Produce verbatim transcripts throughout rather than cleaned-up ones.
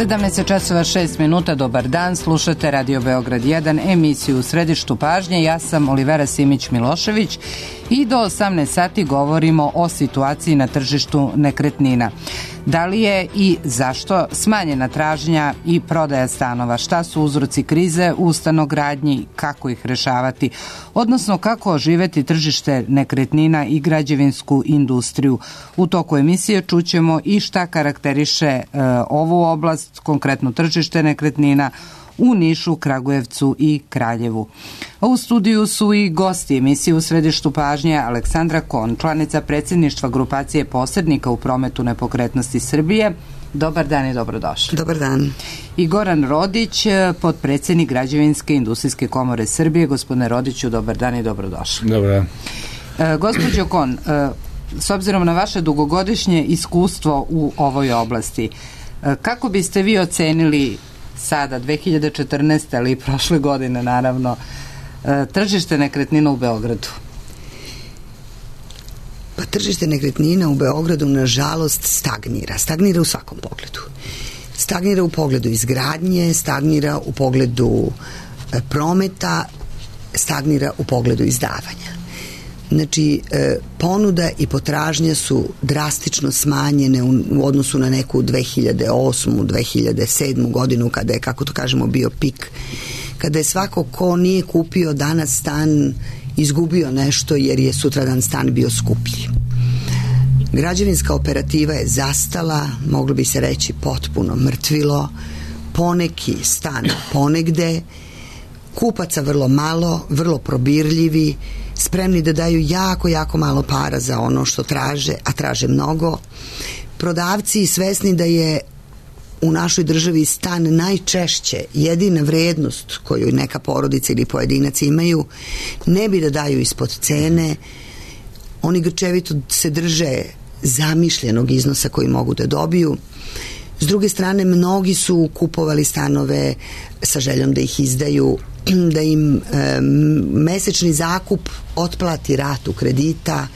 sedamnaest časova šest minuta, dobar dan, slušate Radio Beograd jedan, emisiju U središtu pažnje. Ja sam Olivera Simić-Milošević i do osamnaest sati govorimo o situaciji na tržištu nekretnina. Da li je i zašto smanjena tražnja i prodaja stanova? Šta su uzroci krize u stanogradnji? Kako ih rešavati? Odnosno, kako oživeti tržište nekretnina i građevinsku industriju? U toku emisije čućemo i šta karakteriše e, ovu oblast, konkretno tržište nekretnina, u Nišu, Kragujevcu i Kraljevu. U studiju su i gosti emisije U središtu pažnje Aleksandra Kon, članica predsjedništva grupacije posrednika u prometu nepokretnosti Srbije. Dobar dan i dobrodošli. Dobar dan. I Goran Rodić, potpredsjednik Građevinske industrijske komore Srbije. Gospodine Rodiću, dobar dan i dobrodošli. Dobar dan. E, gospođo Kon, e, s obzirom na vaše dugogodišnje iskustvo u ovoj oblasti, e, kako biste vi ocenili sada, dve hiljade četrnaeste. ali i prošle godine, naravno, tržište nekretnina u Beogradu? Pa tržište nekretnina u Beogradu, nažalost, stagnira. Stagnira u svakom pogledu. Stagnira u pogledu izgradnje, stagnira u pogledu prometa, stagnira u pogledu izdavanja. Znači, ponuda i potražnja su drastično smanjene u odnosu na neku dve hiljade osmu. dve hiljade sedmu. godinu, kada je, kako to kažemo, bio pik, kada je svako ko nije kupio danas stan izgubio nešto jer je sutradan stan bio skuplji. Građevinska operativa je zastala, moglo bi se reći potpuno mrtvilo, poneki stan ponegde, kupaca vrlo malo, vrlo probirljivi, spremni da daju jako, jako malo para za ono što traže, a traže mnogo. Prodavci svesni da je u našoj državi stan najčešće jedina vrednost koju neka porodica ili pojedinac imaju, ne bi da daju ispod cene. Oni grčevito se drže zamišljenog iznosa koji mogu da dobiju. S druge strane, mnogi su kupovali stanove sa željom da ih izdaju, da im e, mesečni zakup otplati ratu kredita.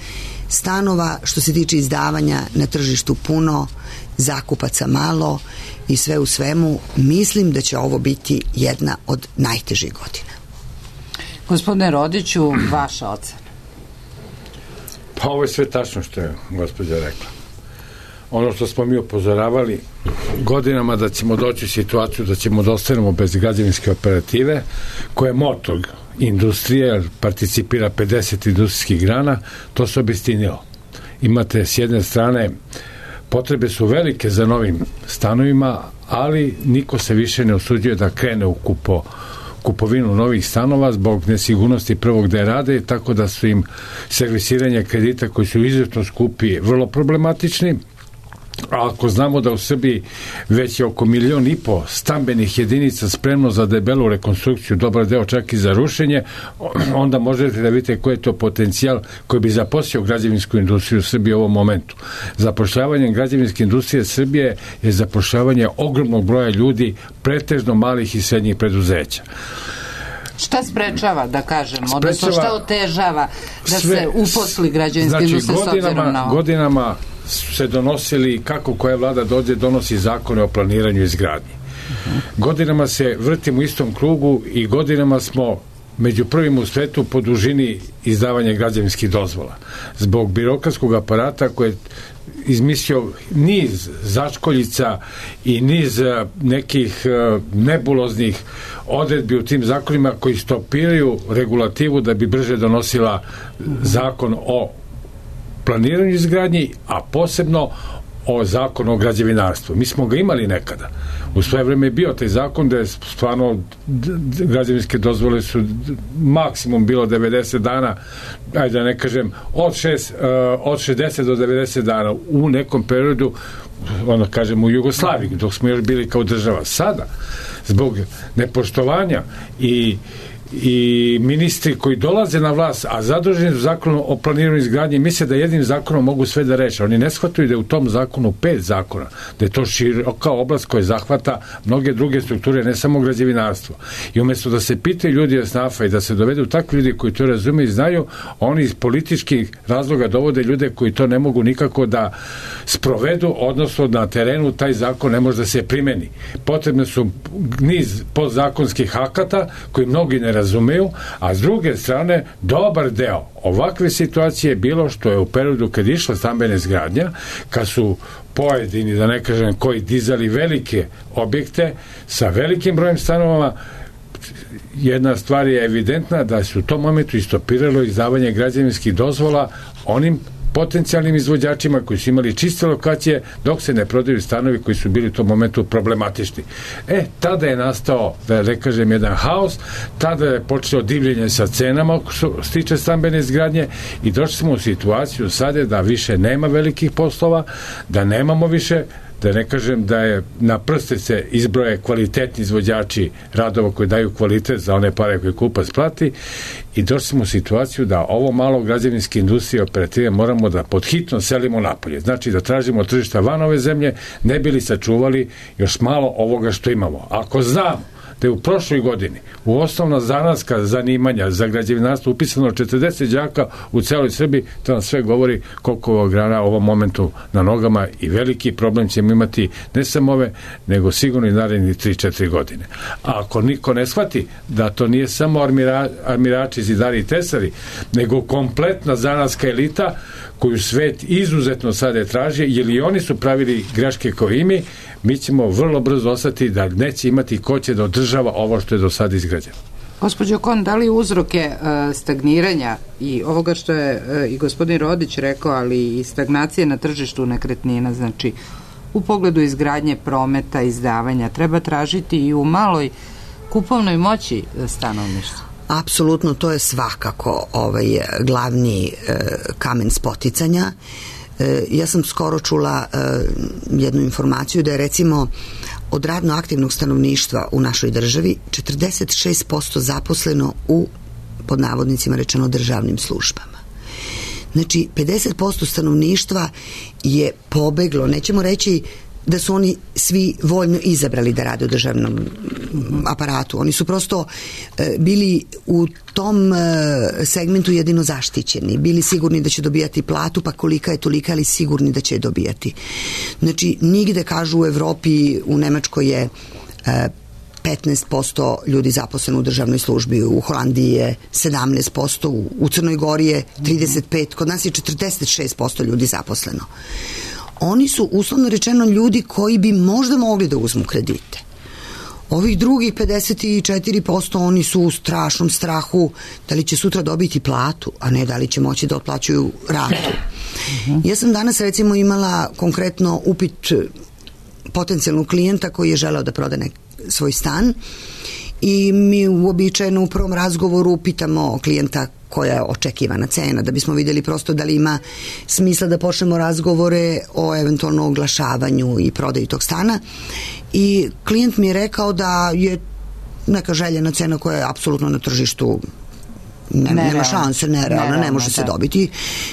Stanova, što se tiče izdavanja, na tržištu puno, zakupaca malo i sve u svemu mislim da će ovo biti jedna od najtežih godina. Gospodine Rodiću, vaša ocena? Pa ovo je sve tačno što je gospođa rekla. Ono što smo mi upozoravali godinama, da ćemo doći u situaciju da ćemo da ostanemo bez građevinske operative, koja je motor industrije, participira pedeset industrijskih grana, to se obistinilo. Imate s jedne strane, potrebe su velike za novim stanovima, ali niko se više ne usuđuje da krene u kupo, kupovinu novih stanova zbog nesigurnosti prvog da je rade, tako da su im servisiranje kredita koji su izuzetno skupi vrlo problematični. A ako znamo da u Srbiji već je oko milion i po stambenih jedinica spremno za debelu rekonstrukciju, dobar deo čak i za rušenje, onda možete da vidite koji je to potencijal koji bi zaposlio građevinsku industriju Srbije u ovom momentu. Zapošljavanje građevinske industrije Srbije je zapošljavanje ogromnog broja ljudi, pretežno malih i srednjih preduzeća. Šta sprečava, da kažem, odnosno šta otežava da sve, se uposli građevinska znači, industrija s obzirom na ovo? Godinama se donosili, kako koja vlada dođe, donosi zakone o planiranju i izgradnji. Uh-huh. Godinama se vrtimo u istom krugu i godinama smo među prvim u svetu po dužini izdavanja građevinskih dozvola. Zbog birokratskog aparata koji je izmislio niz začkoljica i niz nekih nebuloznih odredbi u tim zakonima koji stopiraju regulativu da bi brže donosila zakon o planiranju izgradnji, a posebno o zakonu o građevinarstvu. Mi smo ga imali nekada. U svoje vreme je bio taj zakon da je stvarno građevinske dozvole su maksimum bilo devedeset dana, ajde da ne kažem, od, šest, od šezdeset do devedeset dana u nekom periodu, ono kažem, u Jugoslaviji, dok smo još bili kao država. Sada, zbog nepoštovanja i i ministri koji dolaze na vlast, a zaduženi su zakonom o planiranju izgradnje, misle da jednim zakonom mogu sve da reše. Oni ne shvataju da je u tom zakonu pet zakona, da je to široka oblast koja zahvata mnoge druge strukture, ne samo građevinarstvo. I umjesto da se pitaju ljudi od snafa i da se dovedu takvi ljudi koji to razume i znaju, oni iz političkih razloga dovode ljude koji to ne mogu nikako da sprovedu, odnosno na terenu taj zakon ne može da se primeni. Potrebne su niz podzakonskih akata koji mnogi ne razumeju, a s druge strane dobar deo ovakve situacije je bilo što je u periodu kad išla stambena izgradnja, kad su pojedini, da ne kažem koji, dizali velike objekte sa velikim brojem stanovama, jedna stvar je evidentna da su u tom momentu istopiralo izdavanje građevinskih dozvola onim potencijalnim izvođačima koji su imali čiste lokacije dok se ne prodaju stanovi koji su bili u tom momentu problematični. E, tada je nastao, da ne kažem, jedan haos, tada je počelo divljenje sa cenama što se tiče stambene izgradnje i došli smo u situaciju sada da više nema velikih poslova, da nemamo više, da ne kažem da je na prste se izbroje kvalitetni izvođači radova koji daju kvalitet za one pare koje kupac plati i došli smo u situaciju da ovo malo građevinske industrije operative moramo da podhitno selimo napolje. Znači da tražimo tržišta van ove zemlje, ne bili sačuvali još malo ovoga što imamo. Ako znamo da je u prošloj godini u osnovna zanatska zanimanja za građevinarstvo upisano četrdeset đaka u celoj Srbiji, to nam sve govori koliko ova grana u ovom momentu na nogama i veliki problem ćemo imati ne samo ove, nego sigurno i narednih tri četiri godine. A ako niko ne shvati da to nije samo armira, armirači, zidari i tesari, nego kompletna zanatska elita koju svet izuzetno sada traži, jer i oni su pravili greške kao i mi, mi ćemo vrlo brzo ostati da neće imati ko će da održava ovo što je do sada izgrađeno. Gospođo Kon, da li uzroke uh, stagniranja i ovoga što je uh, i gospodin Rodić rekao, ali i stagnacije na tržištu nekretnina, znači u pogledu izgradnje, prometa, izdavanja, treba tražiti i u maloj kupovnoj moći stanovništva? Apsolutno, to je svakako ovaj glavni e, kamen spoticanja. E, ja sam skoro čula e, jednu informaciju da je recimo od radno aktivnog stanovništva u našoj državi četrdeset šest posto zaposleno u, pod navodnicima rečeno, državnim službama. Znači, pedeset posto stanovništva je pobeglo, nećemo reći da su oni svi voljno izabrali da rade u državnom aparatu. Oni su prosto e, bili u tom e, segmentu jedino zaštićeni. Bili sigurni da će dobijati platu, pa kolika je tolika, ali sigurni da će je dobijati. Znači, nigde, kažu, u Evropi, u Nemačkoj je e, petnaest posto ljudi zaposleno u državnoj službi, u Holandiji je sedamnaest posto, u Crnoj Gori je trideset pet posto, kod nas je četrdeset šest posto ljudi zaposleno. Oni su, uslovno rečeno, ljudi koji bi možda mogli da uzmu kredite. Ovih drugih pedeset četiri posto oni su u strašnom strahu da li će sutra dobiti platu, a ne da li će moći da otplaćuju ratu. Ja sam danas recimo imala konkretno upit potencijalnog klijenta koji je želeo da proda nek, svoj stan i mi uobičajeno u prvom razgovoru pitamo klijenta koja je očekivana cena, da bismo vidjeli prosto da li ima smisla da počnemo razgovore o eventualno oglašavanju i prodaju tog stana. I klijent mi je rekao da je neka željena cena koja je apsolutno na tržištu ne, nema šanse, nerealna, ne može se dobiti.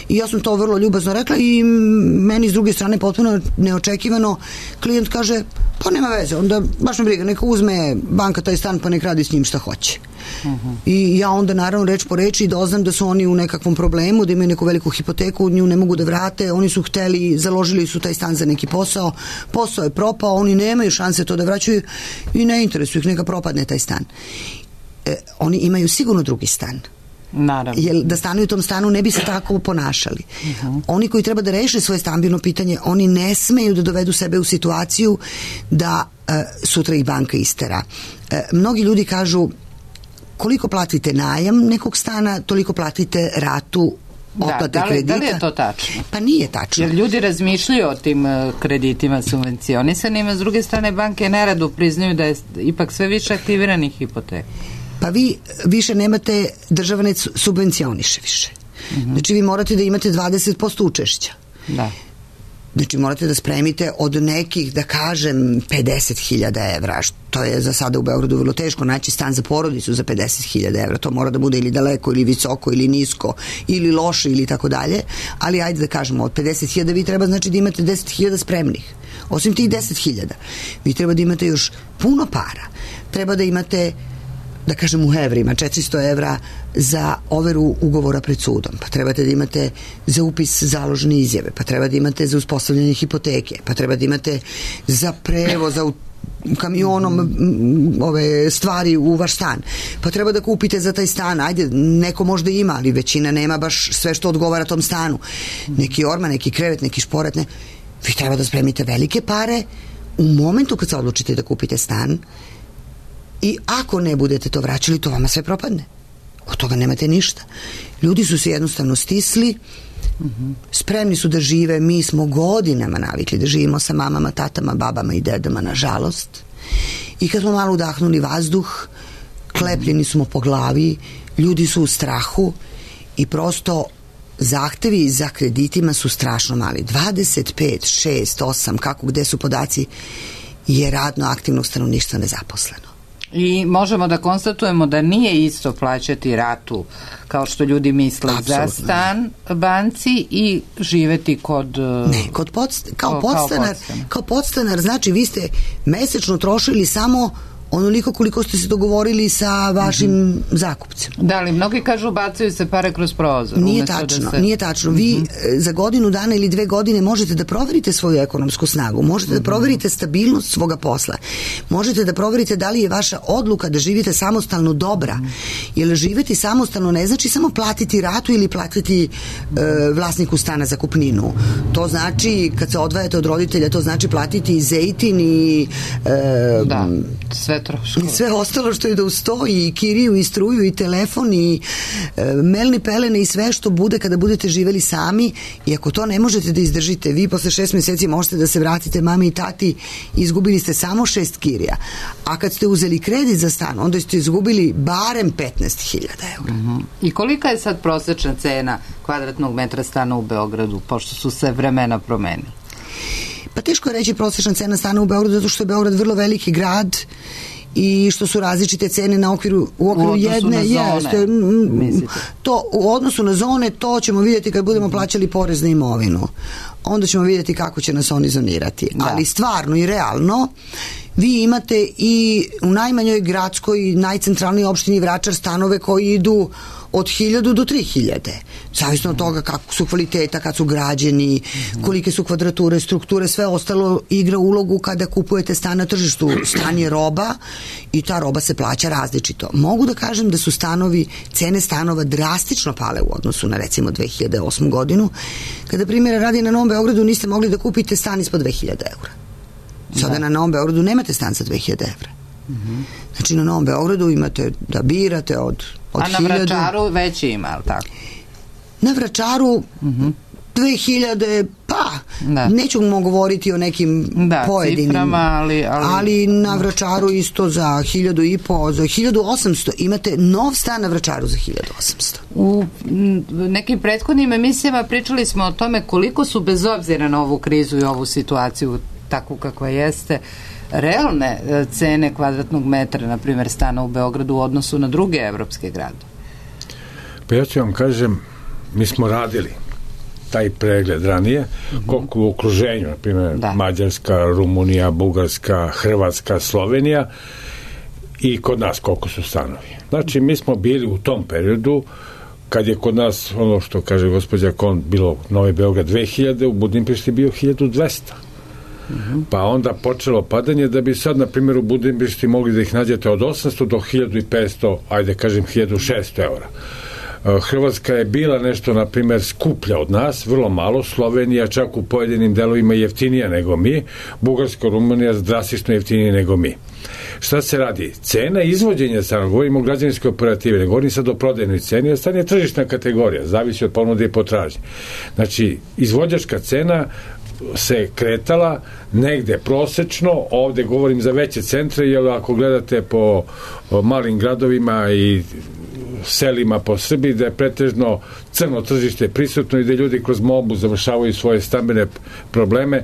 I ja sam to vrlo ljubazno rekla i meni s druge strane potpuno neočekivano klijent kaže, pa nema veze, onda baš me briga, neka uzme banka taj stan pa nek radi s njim šta hoće. Uh-huh. I ja onda naravno reč po reči doznam da su oni u nekakvom problemu, da imaju neku veliku hipoteku, nju ne mogu da vrate, oni su hteli, založili su taj stan za neki posao, posao je propao, oni nemaju šanse to da vraćaju i ne interesuju ih, neka propadne taj stan. E, oni imaju sigurno drugi stan. Naravno. Jer da stanuju u tom stanu ne bi se tako ponašali. Uh-huh. Oni koji treba da reše svoje stambeno pitanje, oni ne smeju da dovedu sebe u situaciju da e, sutra ih banka istera. E, mnogi ljudi kažu koliko platite najam nekog stana, toliko platite ratu otplate da, da li, kredita. Da li je to tačno? Pa nije tačno. Jer ljudi razmišljaju o tim uh, kreditima subvencionisanima, s druge strane banke nerado priznaju da je ipak sve više aktiviranih hipoteka. Pa vi više nemate, država ne subvencioniše više. Uh-huh. Znači vi morate da imate dvadeset posto učešća. Da. Znači morate da spremite od nekih, da kažem, pedeset hiljada evra, To je za sada u Beogradu vrlo teško naći stan za porodicu za pedeset hiljada evra. To mora da bude ili daleko, ili visoko, ili nisko, ili loše, ili tako dalje. Ali ajde da kažemo, od pedeset hiljada vi treba znači da imate deset hiljada spremnih. Osim tih deset hiljada, vi treba da imate još puno para. Treba da imate, da kažem u evrima, četiristo evra za overu ugovora pred sudom, pa trebate da imate za upis založne izjave, pa treba da imate za uspostavljanje hipoteke, pa treba da imate za prevoz, za kamionom ove stvari u vaš stan, pa treba da kupite za taj stan, ajde, neko možda ima, ali većina nema baš sve što odgovara tom stanu, neki orman, neki krevet, neki šporet, ne. Vi treba da spremite velike pare u momentu kad se odlučite da kupite stan i ako ne budete to vraćali, to vama sve propadne. Od toga nemate ništa. Ljudi su se jednostavno stisli, spremni su da žive, mi smo godinama navikli da živimo sa mamama, tatama, babama i dedama, nažalost. I kad smo malo udahnuli vazduh, klepljeni smo po glavi, ljudi su u strahu i prosto zahtevi za kreditima su strašno mali. dvadeset pet, šest, osam, kako, gde su podaci, je radno aktivnog stanovništva nezaposleno. I možemo da konstatujemo da nije isto plaćati ratu kao što ljudi misle Apsolutno. Za stan banci i živeti kod... Ne, kod podst kao, kao, podstanar, kao podstanar. Kao podstanar, znači vi ste mesečno trošili samo onoliko koliko ste se dogovorili sa vašim mm-hmm. zakupcem. Da, ali mnogi kažu bacaju se pare kroz prozor. Nije tačno, da se... nije tačno. Vi mm-hmm. za godinu dana ili dve godine možete da proverite svoju ekonomsku snagu, možete mm-hmm. da proverite stabilnost svoga posla, možete da proverite da li je vaša odluka da živite samostalno dobra, mm-hmm. jer živeti samostalno ne znači samo platiti ratu ili platiti mm-hmm. e, vlasniku stana zakupninu. To znači, kad se odvajate od roditelja, to znači platiti i zejtin i e, da, sve troškove. I sve ostalo što je da ustoji, i kiriju, i struju, i telefon, i e, melni pelene i sve što bude kada budete živeli sami, i ako to ne možete da izdržite, vi posle šest meseci možete da se vratite mami i tati, izgubili ste samo šest kirija. A kad ste uzeli kredit za stan, onda ste izgubili barem petnaest hiljada eura. Uh-huh. I kolika je sad prosečna cena kvadratnog metra stana u Beogradu, pošto su se vremena promenili? Pa teško je reći prosečna cena stana u Beogradu, zato što je Beograd vrlo veliki grad i što su različite cene na okviru, u okviru u jedne. Na zone, jeste, to, u odnosu na zone, to ćemo vidjeti kad budemo plaćali porez na imovinu. Onda ćemo vidjeti kako će nas oni zonirati. Da. Ali stvarno i realno, vi imate i u najmanjoj gradskoj, najcentralnijoj opštini Vračar stanove koji idu od hiljadu do tri hiljade. Zavisno od toga kako su kvaliteta, kad su građeni, kolike su kvadrature, strukture, sve ostalo igra ulogu kada kupujete stan na tržištu. Stan je roba i ta roba se plaća različito. Mogu da kažem da su stanovi, cene stanova drastično pale u odnosu na recimo dve hiljade osmu godinu, kada primjera radi na Novom Beogradu niste mogli da kupite stan ispod dve hiljade eura. Sada da. Na Novom Beogradu nemate stan za dve hiljade evra. Mm-hmm. Znači na Novom Beogradu imate da birate od, od a na hiljadu... Vračaru već ima, ali tako? Na Vračaru mm-hmm. dve hiljade, pa da. Neću mu govoriti o nekim da, pojedinim ciframa, ali, ali... ali na Vračaru isto za hiljadu i po, za hiljadu osamsto imate nov stan na Vračaru za hiljadu osamsto. U nekim prethodnim emisijama pričali smo o tome koliko su, bez obzira na ovu krizu i ovu situaciju takvu kakva jeste, realne cene kvadratnog metra, na primjer stana u Beogradu, u odnosu na druge evropske grade? Pa ja ću vam kažem, mi smo radili taj pregled ranije, mm-hmm. koliko u okruženju, na primjer da. Mađarska, Rumunija, Bugarska, Hrvatska, Slovenija, i kod nas koliko su stanovi. Znači, mi smo bili u tom periodu kad je kod nas, ono što kaže gospođa Kon, bilo Novi Beograd dve hiljade, u Budimpešti bio hiljadu dvesta. Mm-hmm. Pa onda počelo padanje, da bi sad, na primjer, u Budimpešti mogli da ih nađete od osamsto do hiljadu petsto, ajde kažem hiljadu šesto eura. Hrvatska je bila nešto, na primjer, skuplja od nas, vrlo malo. Slovenija čak u pojedinim delovima jeftinija nego mi. Bugarska, Rumunija drastično jeftinija nego mi. Šta se radi? Cena izvođenja stana, govorimo o građevinskoj operativi, ne govorim sad o prodajnoj ceni, jer stan je tržišna kategorija, zavisi od ponude i potražnje. Znači, izvođačka cena se kretala negde prosečno, ovde govorim za veće centre, jer ako gledate po malim gradovima i selima po Srbiji, da je pretežno crno tržište prisutno i da ljudi kroz mobu završavaju svoje stambene probleme.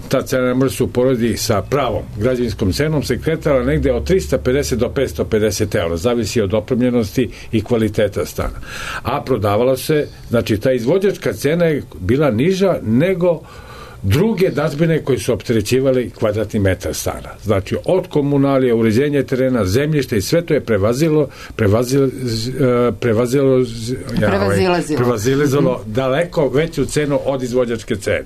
Ta cena ne može se uporediti sa pravom građevinskom cenom, se kretala negde od trista pedeset do petsto pedeset eura, zavisi od opremljenosti i kvaliteta stana. A prodavala se, znači ta izvođačka cena je bila niža nego druge dažbine koji su opterećivali kvadratni metar stana. Znači, od komunalije, uređenja terena, zemljišta i sve to je prevazilo prevazilo prevazilo prevazilazilo, prevazilazilo daleko veću cenu od izvođačke cene.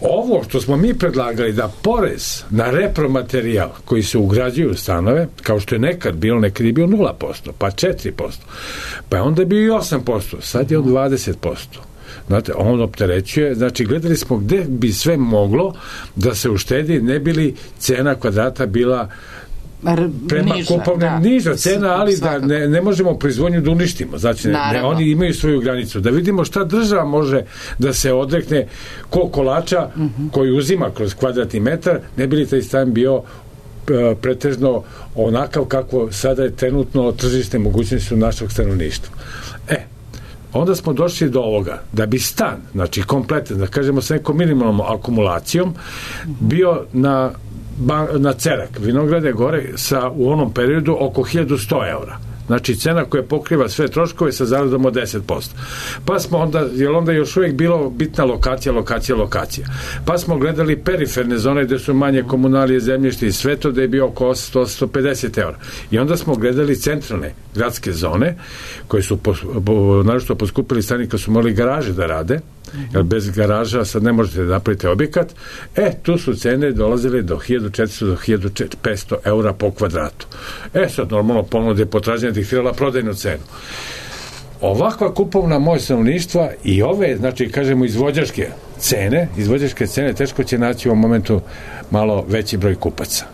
Ovo što smo mi predlagali da porez na repromaterijal koji se ugrađuju u stanove, kao što je nekad bilo, nekad je bio nula posto, pa četiri posto, pa je onda bio i osam posto, sad je on dvadeset posto. Znate, on opterećuje, znači gledali smo gde bi sve moglo da se uštedi, ne bi li cena kvadrata bila prema niža, kupovne, da. niža cena, ali da ne, ne možemo proizvodnju da uništimo. Znači, ne, ne, oni imaju svoju granicu. Da vidimo šta država može da se odrekne ko kolača uh-huh. koji uzima kroz kvadratni metar, ne bi li taj stan bio e, pretežno onakav kako sada je trenutno tržište mogućnosti u našeg stanovništva. E, onda smo došli do ovoga, da bi stan, znači kompletan, da kažemo sa nekom minimalnom akumulacijom, bio na na Cerak, Vinograde gore sa u onom periodu oko hiljadu sto eura. Znači cena koja pokriva sve troškove sa zaradom od deset posto. Pa smo onda, jer onda još uvijek bilo bitna lokacija, lokacija, lokacija. Pa smo gledali periferne zone gde su manje komunalije, zemljište i sve to, da je bio oko osamsto do osamsto pedeset eura. I onda smo gledali centralne gradske zone koje su pos, po, naročito poskupili stani kad su morali garaže da rade, jer bez garaža sad ne možete da napravite objekat. E, tu su cene dolazile do hiljadu četiristo do hiljadu petsto eura po kvadratu. E, sad normalno ponude i potražnja diktirala prodajnu cenu. Ovakva kupovna moć stanovništva i ove, znači kažemo izvođačke cene, izvođačke cene teško će naći u ovom momentu malo veći broj kupaca.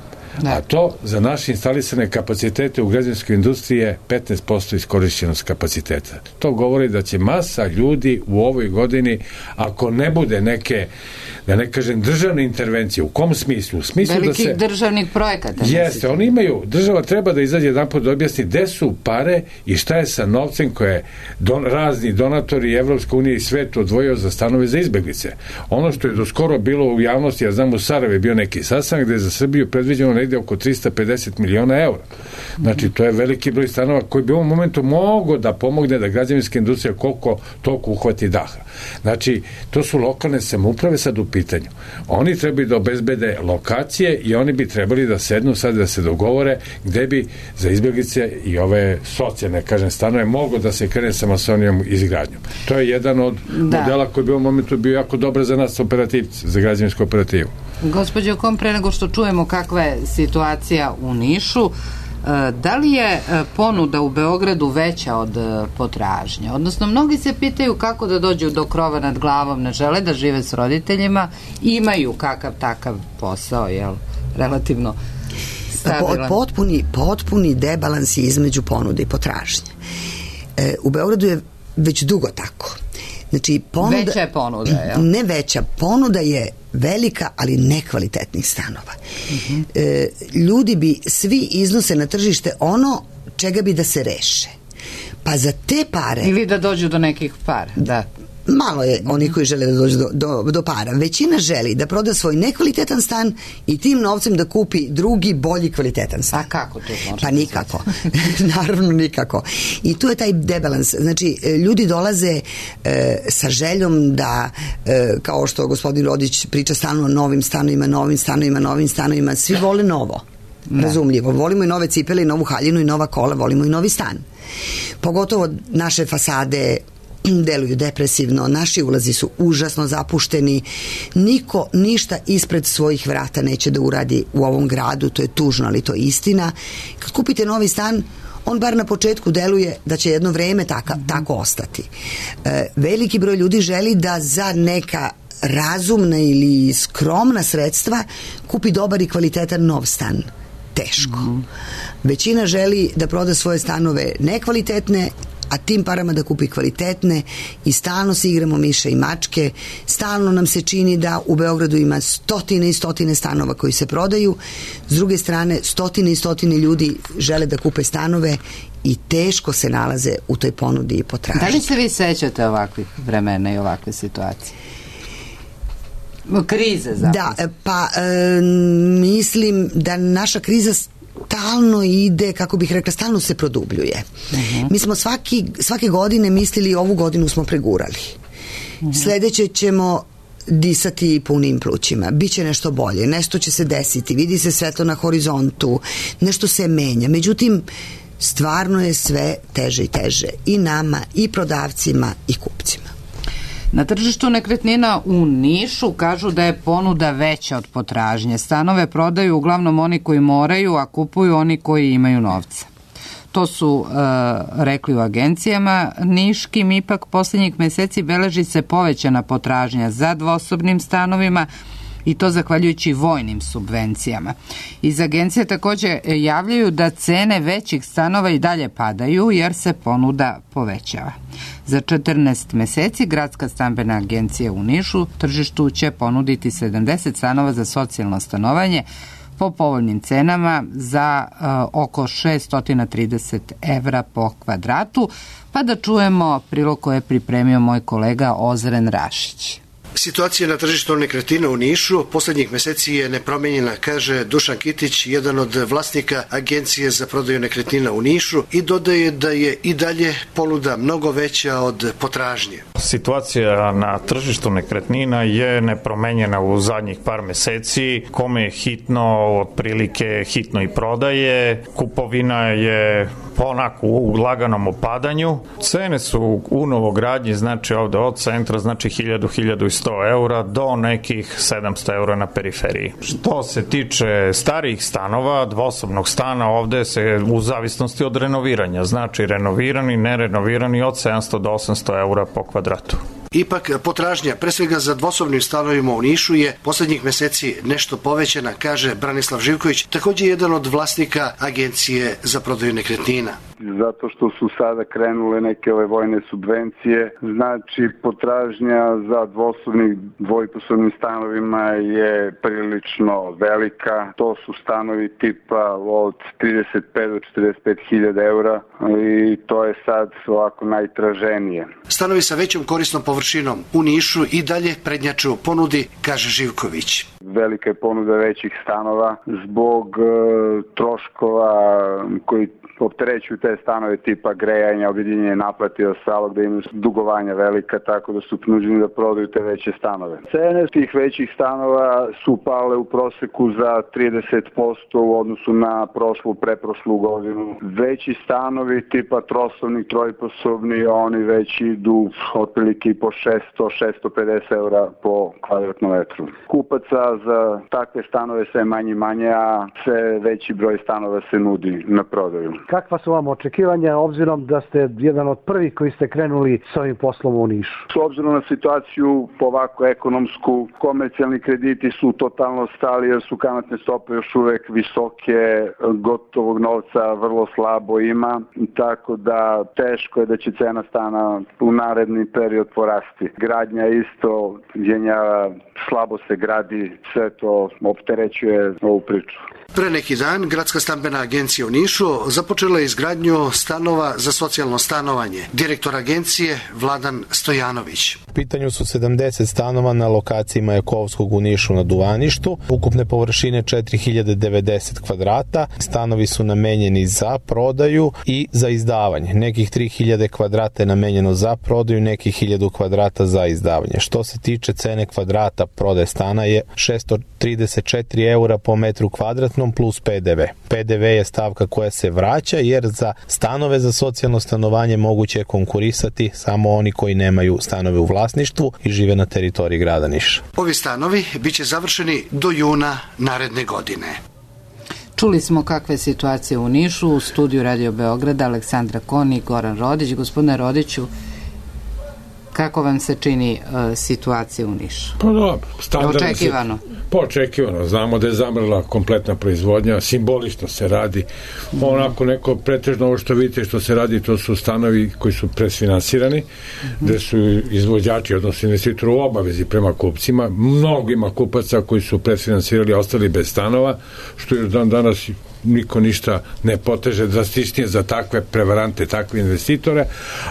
Da. A to za naše instalisane kapacitete u građevinskoj industriji je petnaest posto iskorišćenost kapaciteta. To govori da će masa ljudi u ovoj godini, ako ne bude neke, da ne kažem, državne intervencije, u kom smislu? U smislu velikih da se, državnih projekata. Jeste, oni imaju, država treba da izađe jedan put da objasni gde su pare i šta je sa novcem koje don, razni donatori Evropska unija i svet odvojio za stanove za izbeglice. Ono što je do skoro bilo u javnosti, ja znam u Sarajevu je bio neki sastanak gde je za Srbiju predviđeno negde oko trista pedeset miliona eura. Znači, to je veliki broj stanova koji bi u ovom momentu mogo da pomogne da građevinska industrija koliko toliko uhvati daha. Znači, to su lokalne samouprave sad u pitanju. Oni trebaju da obezbede lokacije i oni bi trebali da sednu sad da se dogovore gde bi za izbjeglice i ove socijalne, kažem, stanove mogo da se krene sa masovnijom izgradnjom. To je jedan od da. modela koji bi u ovom momentu bio jako dobar za nas operativci, za građevinsku operativu. Gospođo Kom, pre nego što čujemo kakva je situacija u Nišu, da li je ponuda u Beogradu veća od potražnje? Odnosno, mnogi se pitaju kako da dođu do krova nad glavom, ne žele da žive s roditeljima, imaju kakav takav posao, jel? Relativno stabilan. Potpuni, potpuni debalans je između ponude i potražnje. E, u Beogradu je već dugo tako. Znači, ponuda, veća je ponuda, jel? Ne veća, ponuda je velika, ali nekvalitetnih stanova. Uh-huh. E, ljudi bi svi iznose na tržište ono čega bi da se reše. Pa za te pare... Ili da dođu do nekih para, da. Malo je onih koji žele da dođu do, do, do para. Većina želi da proda svoj nekvalitetan stan i tim novcem da kupi drugi, bolji kvalitetan stan. A kako to može? Pa nikako. Naravno nikako. I tu je taj debalans. Znači, ljudi dolaze e, sa željom da, e, kao što gospodin Rodić priča stalno o novim stanovima, novim stanovima, novim stanovima, svi vole novo. Da. Razumljivo. Volimo i nove cipele, i novu haljinu, i nova kola, volimo i novi stan. Pogotovo naše fasade deluju depresivno, naši ulazi su užasno zapušteni, niko ništa ispred svojih vrata neće da uradi u ovom gradu, to je tužno, ali to je istina. Kad kupite novi stan, on bar na početku deluje da će jedno vreme taka, tako ostati. E, veliki broj ljudi želi da za neka razumna ili skromna sredstva kupi dobar i kvalitetan nov stan. Teško. Mm-hmm. Većina želi da proda svoje stanove nekvalitetne a tim parama da kupi kvalitetne i stalno se igramo miše i mačke, stalno nam se čini da u Beogradu ima stotine i stotine stanova koji se prodaju, s druge strane stotine i stotine ljudi žele da kupe stanove i teško se nalaze u toj ponudi i potražnji. Da li se vi sećate ovakvih vremena i ovakve situacije? Krize zapravo. Da, pa e, mislim da naša kriza stalno ide, kako bih rekla, stalno se produbljuje. Uh-huh. Mi smo svaki, svake godine mislili ovu godinu smo pregurali. Uh-huh. Sledeće ćemo disati punim plućima. Biće nešto bolje, nešto će se desiti, vidi se svetlo na horizontu, nešto se menja. Međutim, stvarno je sve teže i teže. I nama, i prodavcima, i kupcima. Na tržištu nekretnina u Nišu kažu da je ponuda veća od potražnje. Stanove prodaju uglavnom oni koji moraju, a kupuju oni koji imaju novca. To su e, rekli u agencijama niškim, ipak posljednjih meseci beleži se povećana potražnja za dvosobnim stanovima i to zahvaljujući vojnim subvencijama. Iz agencije također javljaju da cene većih stanova i dalje padaju jer se ponuda povećava. Za četrnaest meseci Gradska stambena agencija u Nišu tržištu će ponuditi sedamdeset stanova za socijalno stanovanje po povoljnim cenama za uh, oko šesto trideset evra po kvadratu, pa da čujemo prilog koje je pripremio moj kolega Ozren Rašić. Situacija na tržištu nekretnina u Nišu poslednjih meseci je nepromenjena, kaže Dušan Kitić, jedan od vlasnika Agencije za prodaju nekretnina u Nišu, i dodaje da je i dalje ponuda mnogo veća od potražnje. Situacija na tržištu nekretnina je nepromenjena u zadnjih par meseci. Kome je hitno, otprilike hitno i prodaje. Kupovina je onako u laganom opadanju. Cene su u novogradnji, znači ovde od centra, znači hiljadu, hiljadu i sto eura do nekih sedamsto eura na periferiji. Što se tiče starijih stanova, dvosobnog stana, ovde se u zavisnosti od renoviranja, znači renovirani, nerenovirani od sedamsto do osamsto eura po kvadratu. Ipak potražnja, pre svega za dvosobnim stanovima u Nišu, je poslednjih meseci nešto povećana, kaže Branislav Živković, takođe jedan od vlasnika Agencije za prodaju nekretnina. Zato što su sada krenule neke ove vojne subvencije, znači potražnja za dvosobnim, dvojposobnim stanovima je prilično velika. To su stanovi tipa od trideset pet do četrdeset pet hiljada eura i to je sad ovako najtraženije. Stanovi sa većom korisnom površinom u Nišu i dalje prednjače u ponudi, kaže Živković. Velika je ponuda većih stanova zbog e, troškova koji opterećuju te stanove tipa grejanja, objedinjenje naplate i ostalo, gde imaju dugovanja velika, tako da su prinuđeni da prodaju te veće stanove. Cene tih većih stanova su pale u proseku za trideset posto u odnosu na prošlu, preprošlu godinu. Veći stanovi tipa trosobni, trojposobni, oni već idu otprilike po šesto do šesto pedeset eura po kvadratnom metru. Kupaca za takve stanove sve manje i manje, a sve veći broj stanova se nudi na prodaju. Kakva su vam očekivanja, obzirom da ste jedan od prvih koji ste krenuli s ovim poslom u Nišu? S obzirom na situaciju ovako ekonomsku, komercijalni krediti su totalno stali jer su kamatne stope još uvek visoke, gotovog novca vrlo slabo ima, tako da teško je da će cena stana u naredni period porasti. Gradnja isto jenjava, slabo se gradi, sve to opterećuje ovu priču. Pre neki dan Gradska stambena agencija u Nišu započela je izgradnju stanova za socijalno stanovanje. Direktor agencije Vladan Stojanović. U pitanju su sedamdeset stanova na lokaciji Majakovskog u Nišu na Duvaništu. Ukupne površine četiri hiljade devedeset kvadrata. Stanovi su namenjeni za prodaju i za izdavanje. Nekih tri hiljade kvadrata je namenjeno za prodaju, nekih hiljadu kvadrata za izdavanje. Što se tiče cene kvadrata prodaje stana je šesto trideset četiri eura po metru kvadratnom plus P D V. P D V je stavka koja se vraća jer za stanove za socijalno stanovanje moguće je konkurisati samo oni koji nemaju stanove u vlasništvu i žive na teritoriji grada Niša. Ovi stanovi biće završeni do juna naredne godine. Čuli smo kakve situacije u Nišu, u studiju Radio Beograda Aleksandra Kon i Goran Rodić. Gospodine Rodiću, Kako vam se čini uh, situacija u Nišu? Pa dobro, standardno. Očekivano. Pa očekivano. Znamo da je zamrla kompletna proizvodnja, simbolično se radi. Mm. Onako neko pretežno ovo što vidite što se radi, to su stanovi koji su presfinansirani, mm. gde su izvođači, odnosno investitori u obavezi prema kupcima. Mnogo ima kupaca koji su presfinansirali, ostali bez stanova, što je dan danas niko ništa ne poteže drastičnije za takve prevarante, takve investitore.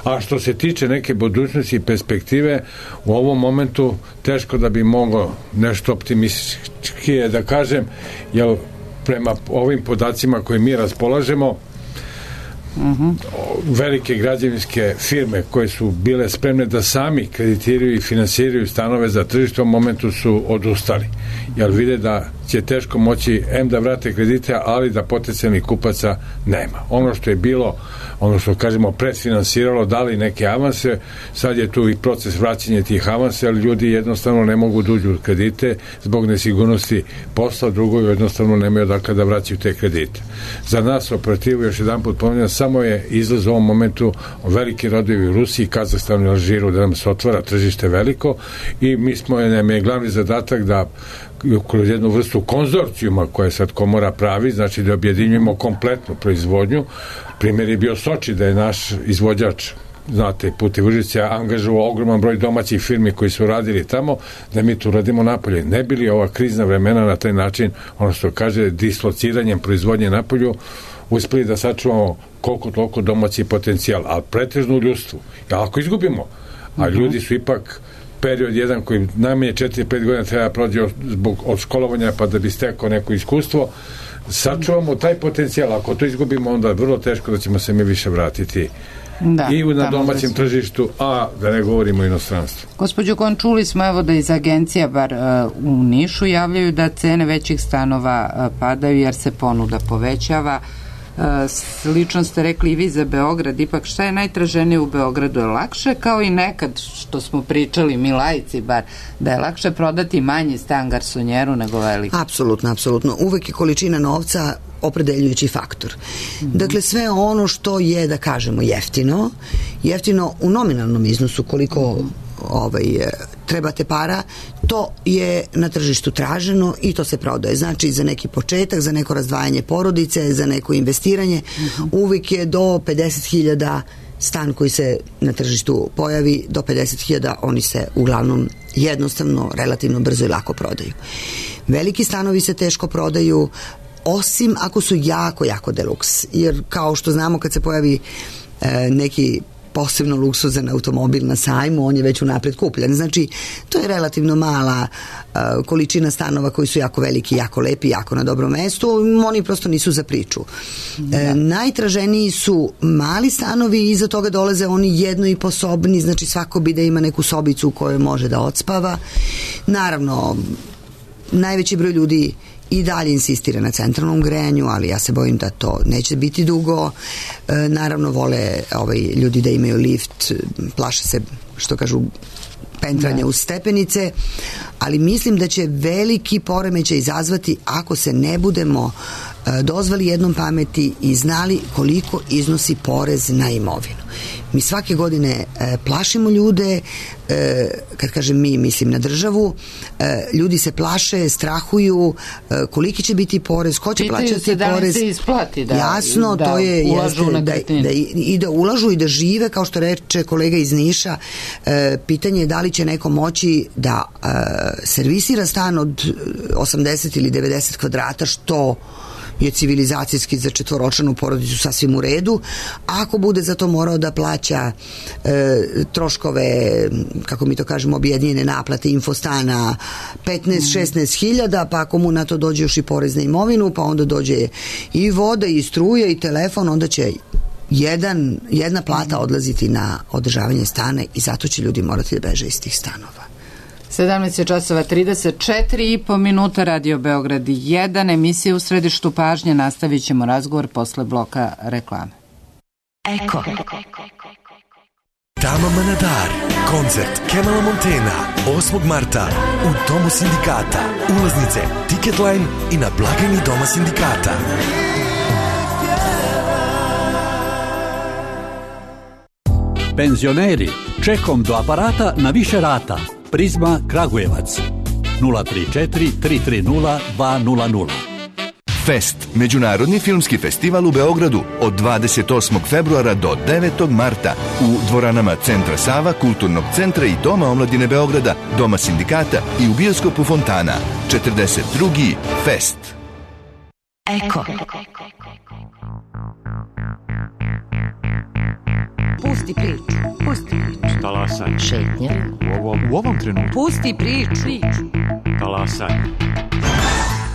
A što se tiče neke budućnosti i perspektive, u ovom momentu teško da bi moglo nešto optimističkije da kažem, jer prema ovim podacima koje mi raspolažemo, Uh-huh. velike građevinske firme koje su bile spremne da sami kreditiraju i finansiraju stanove za tržište u momentu su odustali, jer vide da će teško moći em da vrate kredite, ali da potencijalnih kupaca nema. Ono što je bilo, ono što kažemo predfinansiralo, dali neke avanse, sad je tu i proces vraćanja tih avanse, ali ljudi jednostavno ne mogu da uđu u kredite zbog nesigurnosti posla, drugo jednostavno nemaju odakle da vraćaju te kredite. Za nas operativu, još jedan put pomenjam, samo je izlaz u ovom momentu veliki rodovi u Rusiji, Kazahstanu i Alžiru, da nam se otvara tržište veliko i mi smo, nam je glavni zadatak da kroz jednu vrstu konzorcijuma koje sad komora pravi, znači da objedinjujemo kompletnu proizvodnju. Primjer je bio Soči, da je naš izvođač, znate, Putevi Užice angažovao ogroman broj domaćih firmi koji su radili tamo, da mi tu radimo napolje. Ne bi li ova krizna vremena na taj način, ono što kaže, dislociranjem proizvodnje napolju, uspeli da sačuvamo koliko toliko domaći potencijal, ali pretežno u ljudstvu. A ako izgubimo, a ljudi su ipak period jedan koji najmanje četiri pet godina treba prođe zbog od školovanja pa da bi stekao neko iskustvo, sačuvamo taj potencijal. Ako to izgubimo, onda je vrlo teško da ćemo se mi više vratiti da, i na domaćem tržištu, a da ne govorimo o inostranstvu. Gospođo Kon, čuli smo evo da iz agencija bar uh, u Nišu javljaju da cene većih stanova uh, padaju jer se ponuda povećava. Slično ste rekli i vi za Beograd, ipak šta je najtraženije u Beogradu? Je lakše, kao i nekad što smo pričali, mi laici bar, da je lakše prodati manji stan garsonjeru nego veliki? Apsolutno, apsolutno. Uvek je količina novca opredeljujući faktor. Mm-hmm. Dakle, sve ono što je, da kažemo, jeftino, jeftino u nominalnom iznosu, koliko mm-hmm. ovaj, trebate para, to je na tržištu traženo i to se prodaje. Znači, za neki početak, za neko razdvajanje porodice, za neko investiranje, mm-hmm. uvijek je do pedeset hiljada stan koji se na tržištu pojavi, do pedeset hiljada oni se uglavnom jednostavno, relativno brzo i lako prodaju. Veliki stanovi se teško prodaju, osim ako su jako, jako deluks. Jer kao što znamo, kad se pojavi e, neki posebno luksuzan automobil na sajmu, on je već unapred kupljen. Znači, to je relativno mala uh, količina stanova koji su jako veliki, jako lepi, jako na dobrom mestu. Oni prosto nisu za priču. Da. E, najtraženiji su mali stanovi i iza toga dolaze oni jedno i posobni, znači svako bi da ima neku sobicu u kojoj može da odspava. Naravno, najveći broj ljudi i dalje insistira na centralnom grejanju, ali ja se bojim da to neće biti dugo. E, naravno, vole ovaj, ljudi da imaju lift, plaše se, što kažu, pentranja uz stepenice, ali mislim da će veliki poremećaj izazvati ako se ne budemo e, dozvali jednom pameti i znali koliko iznosi porez na imovinu. Mi svake godine e, plašimo ljude, e, kad kažem mi, mislim na državu, e, ljudi se plaše, strahuju, e, koliki će biti porez, ko će Pitaju plaćati se da porez. Se isplati da, jasno, da to je ulažu jeste, na da, da, i da ulažu i da žive, kao što reče kolega iz Niša. E, pitanje je da li će neko moći da e, servisira stan od osamdeset ili devedeset kvadrata, što je civilizacijski za četvoročlanu porodicu sasvim u redu. Ako bude za to morao da plaća e, troškove, kako mi to kažemo, objedinjene naplate infostana petnaest šesnaest hiljada, pa ako mu na to dođe još i porez na imovinu, pa onda dođe i voda i struja i telefon, onda će jedan, jedna plata odlaziti na održavanje stana i zato će ljudi morati da beže iz tih stanova. sedamnaest časova trideset četiri i po minuta, Radio Beograd jedan, emisija U središtu pažnje. Nastavit ćemo razgovor posle bloka reklame. Eko. Tama Manadar, koncert Kemala Montena, osmog marta u Domu sindikata. Ulaznice Ticketline i na blagajni Doma sindikata. Penzioneri, čekom do aparata na više rata. Prizma Kragujevac nula tri četiri tri tri nula dva nula nula. Fest, međunarodni filmski festival u Beogradu od dvadeset osmog februara do devetog marta u dvoranama Centra Sava, Kulturnog centra i Doma omladine Beograda, Doma sindikata i u bioskopu Fontana. četrdeset drugi Fest. Eko. Pusti priču. Pusti priču. Talasaj. Šetnja. U ovom, u ovom trenutku. Pusti priču. priču. Talasaj.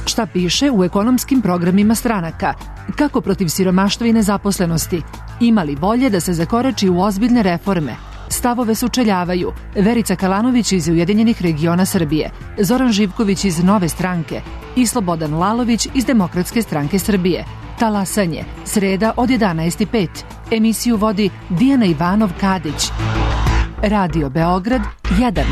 Šta piše u ekonomskim programima stranaka? Kako protiv siromaštva i nezaposlenosti? Ima li volje da se zakorači u ozbiljne reforme? Stavove sučeljavaju Verica Kalanović iz Ujedinjenih regiona Srbije, Zoran Živković iz Nove stranke i Slobodan Lalović iz Demokratske stranke Srbije. Talasanje, sreda od jedanaest i pet. Emisiju vodi Dijana Ivanov-Kadić. Radio Beograd jedan.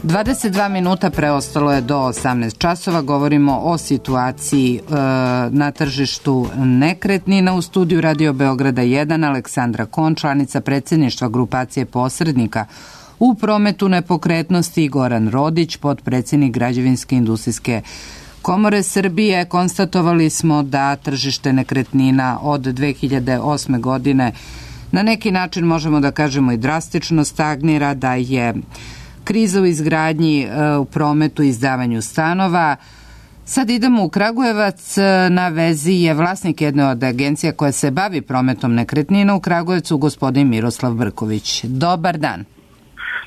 dvadeset dva minuta preostalo je do osamnaest časova. Govorimo o situaciji e, na tržištu nekretnina. U studiju Radio Beograda jedan Aleksandra Kon, članica predsjedništva grupacije posrednika u prometu nepokretnosti, Goran Rodić, potpredsjednik Građevinske industrijske komore Srbije. Konstatovali smo da tržište nekretnina od dve hiljade osme godine na neki način možemo da kažemo i drastično stagnira, da je kriza u izgradnji, u prometu i izdavanju stanova. Sad idemo u Kragujevac, na vezi je vlasnik jedne od agencija koja se bavi prometom nekretnina u Kragujevcu, gospodin Miroslav Brković. Dobar dan.